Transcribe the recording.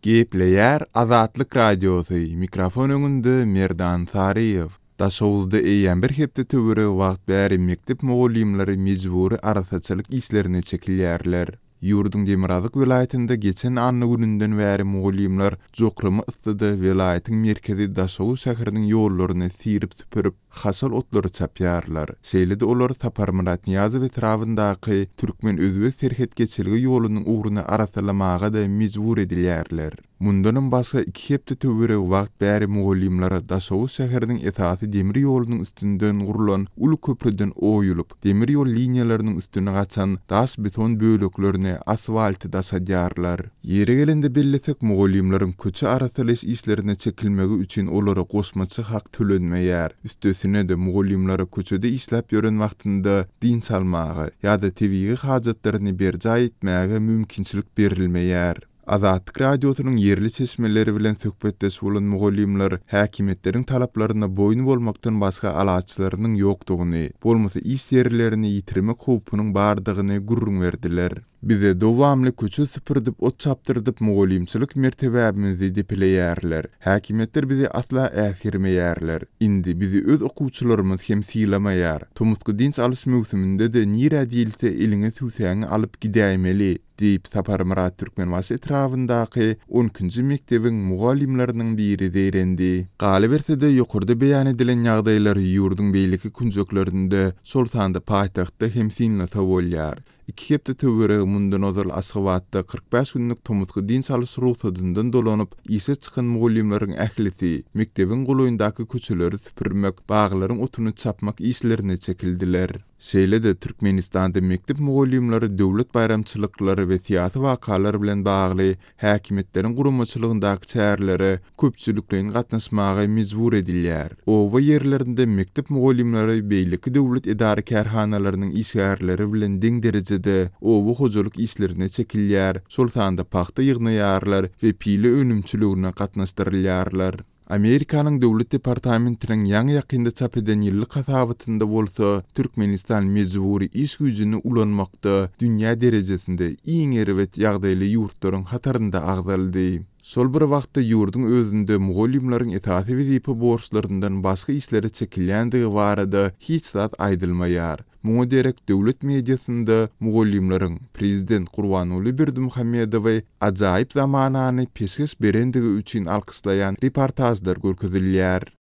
Gepleýär Azatlyk Radiosy, mikrofon öňünde Merdan Saryýew. Daşoguzda eýýäm bir hepde töweregi wagt bäri mekdep mugallymlary mejbury arassaçylyk işlerine çekilýärler. Ýurduň demirgazyk welaýatynda geçen anna gününden bäri mugallymlar jokrama yssyda welaýatyň merkezi Daşoguz şäheriniň ýollaryny syryp-süpürip, haşal otlary çapýarlar. Şeýle-de olar Saparmyrat Nyýazow etrabyndaky türkmen-özbek serhet geçelge ýolunyň ugruny arassalamaga-da mejbur edilýärler. Mundanam başga iki hepde töweregi wagt bäri mugallymlara Daşoguz şäheriniň esasy demir ýolunyň üstünden gurlan uly köprüden oýulyp, demir ýol liniýalarynyň üstüne gaçan daş-beton böleklerini, asfalty daşadýarlar. Ýeri gelende bellesek, mugallymlaryň köçe arassalaýyş işlerine çekilmegi üçin olara goşmaça hak tölenmeýär. Üstesine-de, mugallymlara köçede işläp ýören wagtynda dynç almaga ýa-da tebigy hajatlaryny berjaý etmäge mümkinçilik berilmeýär. Azatlyk Radiosynyň ýerli çeşmeleri bilen söhbetdeş bolan mugallymlar häkimiýetleriň talaplaryna boýun bolmakdan başga alaçlarynyň ýokdugyny, bolmasa iş ýerlerini ýitirmek howpunyň bardygyny gürrüň berdiler. Bize dowamly köçe süpürdip, ot çapdyrdyp mugallymçylyk mertebämizi depeleýärler. Häkimiýetler bizi asla äsgermeýärler. Indi bizi öz okuwçylarymyz hem sylamaýar. Tomusky dynç alyş möwsüminde-de nirä diýilse eliňe tüwsäňi alyp gidäýmeli. Diýip, Saparmyrat Türkmenbaşy etrabyndaky on ikinji mekdebiň mugallymlarynyň biri zeýrendi. Galyberse-de, ýokarda beýan edilen ýagdaýlary ýurduň beýleki künjeklerinde, şol sanda paýtagtda hem synlasa bolýar. Iki hepde töweregi mundan ozal Aşgabatda 45 günlük tomusky dynç alyş rugsadyndan dolanyp, işe çykan mugallymlaryň ählisi mekdebiň golaýyndaky köçeleri süpürmek, baglaryň otuny çapmak işlerine çekildiler. Şeýle-de, Türkmenistanda mekdep mugallymlary döwlet baýramçylyklary we syýasy wakalar bilen bagly häkimiýetleriň guramaçylygyndaky çärelere köpçülikleýin gatnaşmaga mejbur edilýär. Oba ýerlerinde mekdep mugallymlary beýleki döwlet edara-kärhanalarynyň işgärleri bilen deň derejede oba hojalyk işlerine çekilýär, şol sanda pagta ýygnaýarlar we pile önümçiligine gatnaşdyrylýarlar. Amerikanyň Döwlet departamentiniň ýaňy-ýakynda çap eden ýyllyk hasabatynda bolsa, Türkmenistan mejbury iş güýjüni ulanmakda dünýä derejesinde iň erbet ýagdaýly ýurtlaryň hatarynda agzaldy. Şol bir wagtda ýurduň özünde mugallymlaryň esasy wezipe borçlaryndan başga işlere çekilýändigi barada hiç zat aýdylmaýar. Muňa derek döwlet mediasynda mugallymlaryň prezident Gurbanguly Berdimuhamedowy ajaýyp zamanany peşgeş berendigi üçin alkyşlaýan reportažlar görkezilýär.